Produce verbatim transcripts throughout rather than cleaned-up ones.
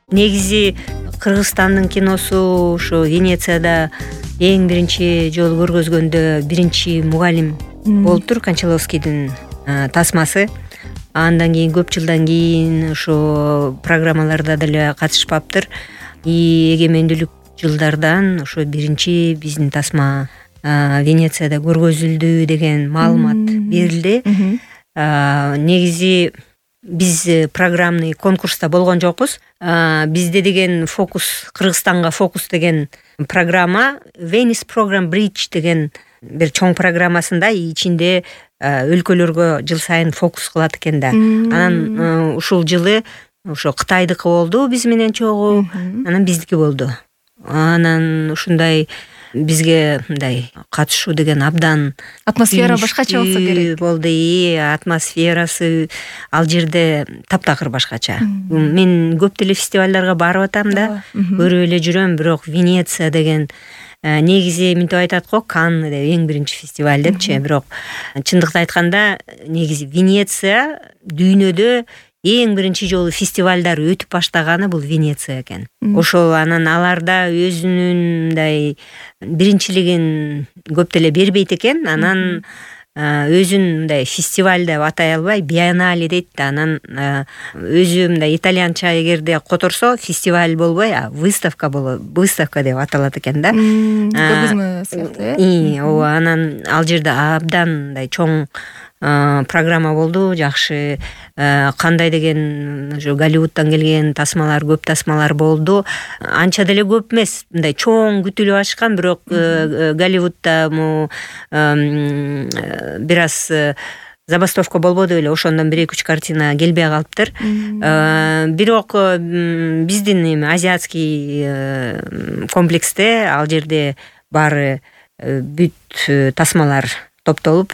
Негизи Кыргызстандын киносу ушу Венецияда эң биринчи жолу көргөзгөндө биринчи мугалим болуптур, Кончаловскийдин тасмасы. Андан кийин көп жылдан кийин ошо программаларда деле катышпаптыр. И эгемендүүлүк жылдардан ошо биринчи биздин тасма Венецияда көргөзүлдү деген маалымат берилди. Негизи биз программный конкурста болгон жокпуз. Бизде деген фокус, Кыргызстанга фокус деген программа Venice Program Bridge деген бир чоң программасында ичинде өлкөлөргө жыл сайын фокус кылат экен да. Анан ушул жылы ошо Кытайдыкы болду биз менен чогуу, анан биздики болду. Анан ушундай бизге мындай катышуу деген абдан атмосфера башкача болсо керек болду. И атмосферасы ал жерде таптакыр башкача. Мен көп деле фестивалдарга барып атам да, көрүп эле жүрөм, бирок Венеция деген негизи мынтип айтат го, Канн деп эң биринчи фестиваль депчи, бирок чындыкты айтканда негизи Венеция дүйнөдө эң биринчи жолу фестивалдар өтүп баштаганы бул Венеция экен. Ошол анан аларда өзүнүн мындай биринчилигин көп деле бербейт экен. Анан өзүн мындай фестиваль деп атай албай биеннале дейт да. Анан өзү мындай итальянча эгерде которсо фестиваль болбой, а выставка болот, выставка деп аталат экен да. Көргөзмө сыяктуу э. Ооба, анан ал жерде абдан мындай чоң программа болду, жакшы. Кандай деген ушу Голливудтан келген тасмалар, көп тасмалар болду. Анча деле көп эмес, мындай чоң күтүлүп ачкан, бирок Голливудда му бир аз забастовка болбоду эле, ошондон бир эки үч картина келбей калыптыр. Бирок биздин эми азиатский комплексте ал жерде баары бүт тасмалар топтолуп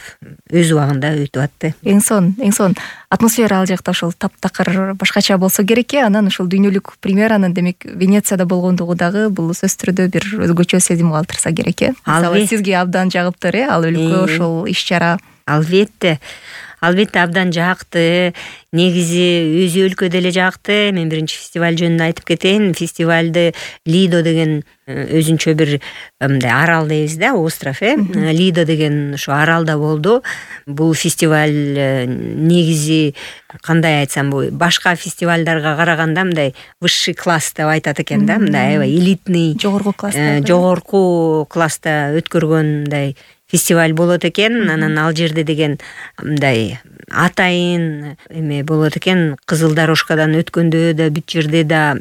өз убагында өтүп атты. Эң сон, эң сон атмосфера ал жакта ошол таптакыр башкача болсо керек э. Анан ошол дүйнөлүк премьеранын демек Венецияда болгондугу дагы бул сөзсүз түрдө бир өзгөчө сезим калтырса керек э. Мисалы сизге абдан жагыптыр э ал өлкө, ошол иш-чара. Албетте. Албетте абдан жакты. Негизи өзү өлкө деле жакты. Мен биринчи фестиваль жөнүндө айтып кетейин. Фестивалды Лидо деген өзүнчө бир мындай арал дейбиз да, остров э. Лидо деген ошо аралда болду. Бул фестиваль негизи кандай айтсам, бул башка фестивалдарга караганда мындай высший класс деп айтат экен да, мындай аябай элитный, жогорку класста, жогорку класста өткөргөн мындай фестиваль болот экен. Анан ал жерде деген мындай атайын эме болот экен. Кызыл дорожкадан өткөндө да, бүт жерде да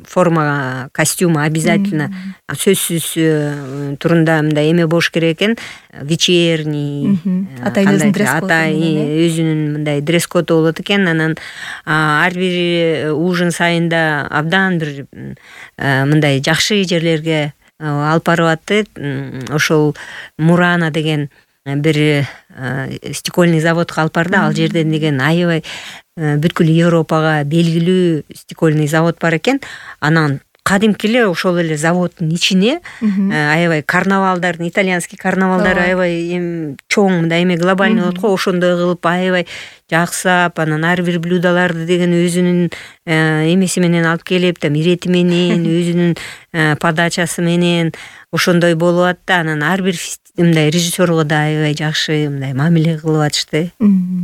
форма, костюм обязательно сөзсүз турунда мындай эме болуш керек экен. Вечерний, атай өзүнүн мындай дресс-коду болот экен. Анан ар бир ужин сайында абдан бир мындай жакшы жерлерге алып барып атты. Ошол Мурана деген бир стекольный заводко алып барды. Ал жерден деген аябай бүткүл Европага белгилүү стекольный завод бар экен. Анан кадимки эле ошол эле заводдун ичине аябай карнавалдардын, итальянский карнавалдар аябай эми чоң мындай эме глобальный болот го, ошондой кылып аябай жаксап, анан ар бир блюдолорду деген өзүнүн эмеси менен алып келип, там ирети менен, өзүнүн подачасы менен ошондой болуп атты. Анан ар бир мындай режиссерго да аябай жакшы мындай мамиле кылып атышты,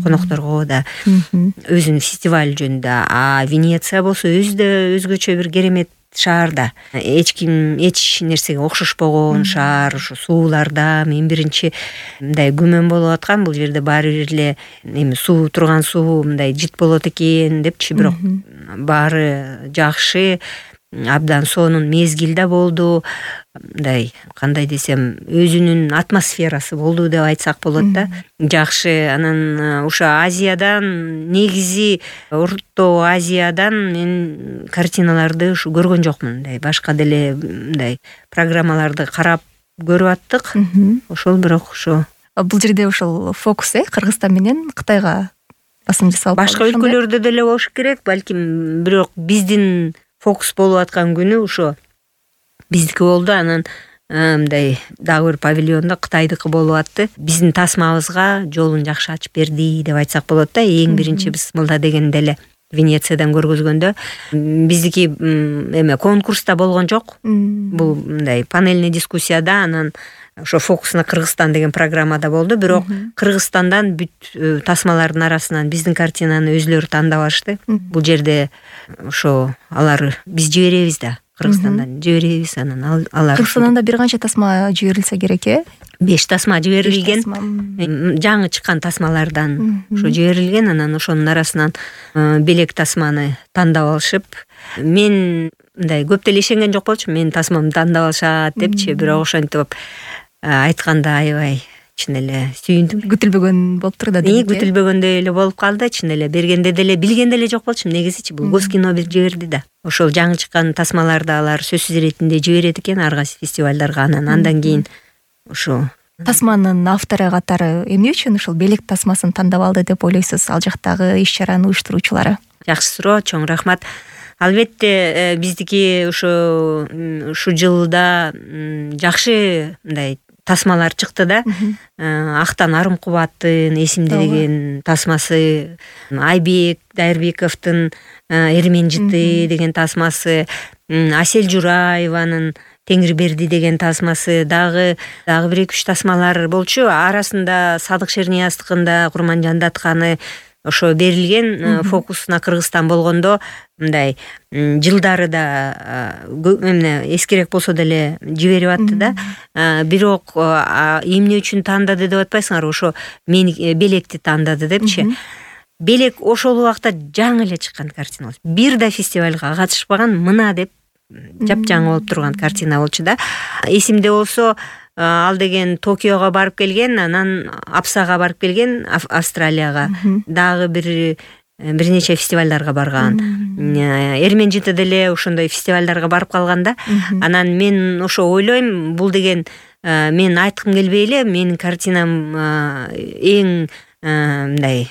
конокторго да, өзүнүн фестиваль жөнүндө. А Венеция болсо өзү да өзгөчө бир керемет шаар да. Эч ким эч нерсеге окшошпогон шаар. Ушу сууларда мен биринчи мындай күмөн болуп аткан, бул жерде баары бир эле эми суу, турган суу мындай жит болот экен депчи, бирок баары жакшы. Абдан сонун мезгил да болду. Мындай кандай десем, өзүнүн атмосферасы болду деп айтсак болот да. Жакшы. Анан ушу Азиядан, негизи Орто Азиядан мен картиналарды ушу көргөн жокмун. Мындай башка деле мындай программаларды карап көрүп аттык. Ошол бирок ошо бул жерде ошол фокус э Кыргызстан менен Кытайга басым жасалып, башка өлкөлөрдө деле болуш керек, балким, бирок биздин фокус болуп аткан күнү ошо биздики болду. Анан мындай дагы бир павильондо Кытайдыкы болуп атты. Биздин тасмабызга жолун жакшы ачып берди деп айтсак болот да. Эң биринчи бисмилла дегенде эле Венециядан көргөзгөндө. Биздики эме конкурста болгон жок. Бул мындай панельный дискуссияда, анан ошо «Фокус на Кыргызстан» деген программада болду. Бирок Кыргызстандан бүт тасмалардын арасынан биздин картинаны өзүлөрү тандап алышты. Бул жерде ошо алар биз жиберебиз да, Кыргызстандан жиберебиз, анан алар Кыргызстандан да бир канча тасма жиберилсе керек э? беш тасма жиберилген. Жаңы чыккан тасмалардан ошо жиберилген, анан ошонун арасынан белек тасманы тандап алышып, мен мындай көп деле ишенген жок болчумун, менин тасмамды тандап алышат депчи, бирок ошентип айтканда аябай чын эле сүйүндүм. Күтүлбөгөн болуптур да. Эми күтүлбөгөндөй эле болуп калды, чын эле бергенде деле билген деле жок болчумун негизичи. Бул Госкино бир жиберди да. Ошол жаңы чыккан тасмаларды алар сөзсүз иретинде жиберет экен ар кайсы фестивалдарга. Анан андан кийин ошо тасманын автору катары эмне үчүн ушул белек тасмасын тандап алды деп ойлойсуз, ал жактагы иш-чараны уюштуруучулары? Жакшы суроо, чоң рахмат. Албетте биздики ошо ушул жылда жакшы мындай тасмалар чыкты да. Актан Арым Кубаттын «Эсимде» деген тасмасы, Айбек Дайырбековдун «Эрмен жыты» деген тасмасы, Асель Жураеванын «Теңирберди» деген тасмасы, дагы дагы бир эки үч тасмалар болчу. Арасында Садык Шернияздыкында Курманжан Датканы ошо берилген. «Фокус на Кыргызстан» болгондо мындай жылдары да эмне эскирээк болсо деле жиберип атты да. Бирок эмне үчүн тандады деп атпайсыңарбы, ошо мени белекти тандады депчи. Белек ошол убакта жаңы эле чыккан картина болчу. Бир да фестивалга катышпаган, мына деп жапжаңы болуп турган картина болчу да. Эсимде болсо ал деген Токиого барып келген, анан Апсага барып келген, Австралияга. Дагы бир бир нече фестивалдарга барган. Эрмен жыты деле ошондой фестивалдарга барып калган да. Анан мен ошо ойлойм, бул деген мен айткым келбей эле, менин картинам эң мындай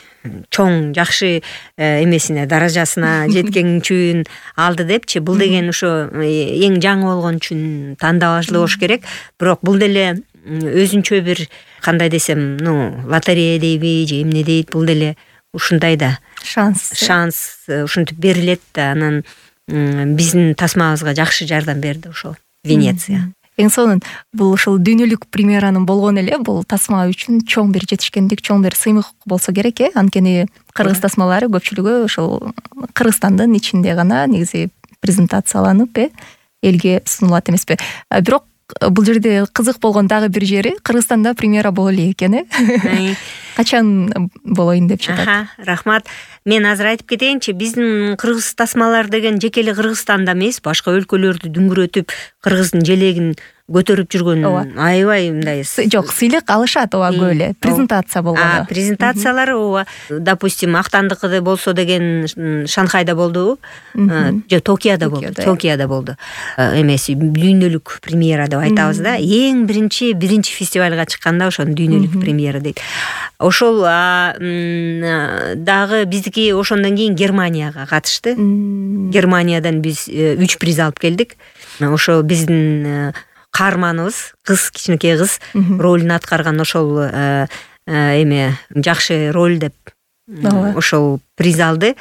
чоң жакшы эмесине, даражасына жеткен үчүн алды депчи. Бул деген ошо эң жаңы болгон үчүн тандап алышлы болуш керек. Бирок бул деле өзүнчө бир, кандай десем, ну, лотерея дейби же эмне дейт, бул деле ушундай да шанс шанс ушинтип берилет да. Анан биздин тасмабызга жакшы жардам берди ошол Венеция. Эң сонун бул ушул дүйнөлүк премьеранын болгону эле бул тасма үчүн чоң бир жетишкендик, чоң бир сыймык болсо керек э. Анткени кыргыз тасмалары көпчүлүгү ошол Кыргызстандын ичинде гана негизи презентацияланып э элге сунулат эмеспи. Бирок бул жерде кызык болгон дагы бир жери, Кыргызстанда премьера боло элек экен э. Качан болоюн деп жатат? Рахмат. Мен азыр айтып кетейинчи, биздин кыргыз тасмалар деген жеке эле Кыргызстанда эмес, башка өлкөлөрдү дүңгүрөтүп, кыргыздын желегин көтөрүп жүргөн аябай мындай жок, сыйлык алышат ооба көп эле. Презентация болгону. Презентациялары ооба. Допустим, Актандыкы болсо деген Шанхайда болду. Же Токиодо болду. Токиодо болду. Эмеси дүйнөлүк премьера деп айтабыз да. Эң биринчи биринчи фестивалга чыкканда ошону дүйнөлүк премьера дейт. Ошол дагы биздики ошондон кийин Германияга катышты. Германиядан биз үч приз алып келдик. Ошо биздин каарманыбыз, кыз, кичинекей кыз ролун аткарган, ошол эме жакшы роль деп ошол приз алды.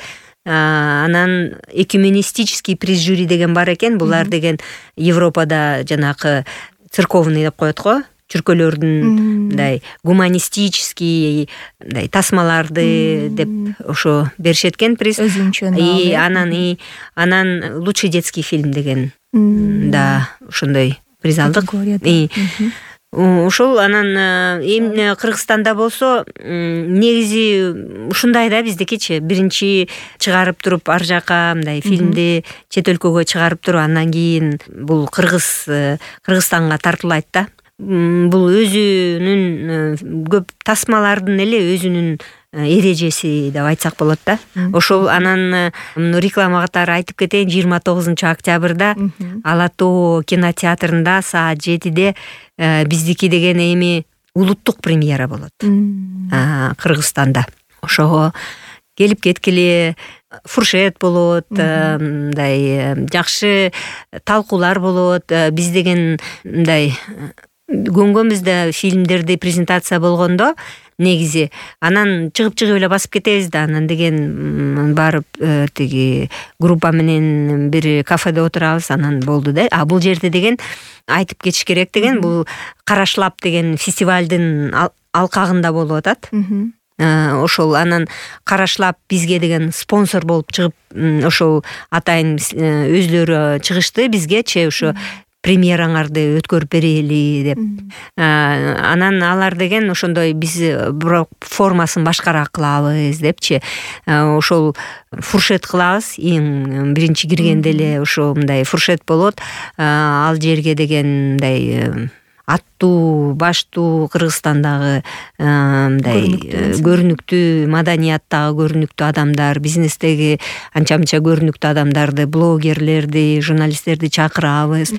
Анан экюменистический приз жюри деген бар экен. Булар деген Европада жанакы церковный деп коет го, чүркөлөрдүн мындай гуманистический мындай тасмаларды деп ошо беришет экен приз. И анан и анан лучший детский фильм деген да ошондой приз алдык. Ошол анан эмне Кыргызстанда болсо негизи ушундай да, биздикичи биринчи чыгарып туруп ар жака мындай фильмди чет өлкөгө чыгарып туруп, андан кийин бул Кыргыз Кыргызстанга тартуулайт да. Бул өзүнүн көп тасмалардын эле өзүнүн эрежеси деп айтсак болот да. Ошол анан реклама катары айтып кетейин, жыйырма тогузунчу октябрда Ала Тоо кинотеатрында саат жетиде биздики деген эми улуттук премьера болот Кыргызстанда. Ошого келип кеткиле, фуршет болот, мындай жакшы талкуулар болот. Биз деген мындай көнгөнбүз да фильмдерди презентация болгондо негизи анан чыгып чыгып эле басып кетебиз да, анан деген барып тиги группа менен бир кафеде отурабыз, анан болду да. А бул жерде деген айтып кетиш керек деген, бул Карашлап деген фестивалдын алкагында болуп атат. Ошол анан Карашлап бизге деген спонсор болуп чыгып, ошол атайын өзлөрү чыгышты бизгечи, ошо премьераңарды өткөрүп берели деп. Анан алар деген ошондой биз бирок формасын башкараак кылабыз депчи. Ошол фуршет кылабыз, эң биринчи киргенде эле ошо мындай фуршет болот. Ал жерге деген мындай аттуу, баштуу Кыргызстандагы мындай көрүнүктүү, маданияттагы көрүнүктүү адамдар, бизнестеги анча-мынча көрүнүктүү адамдарды, блогерлерди, журналисттерди чакырабыз.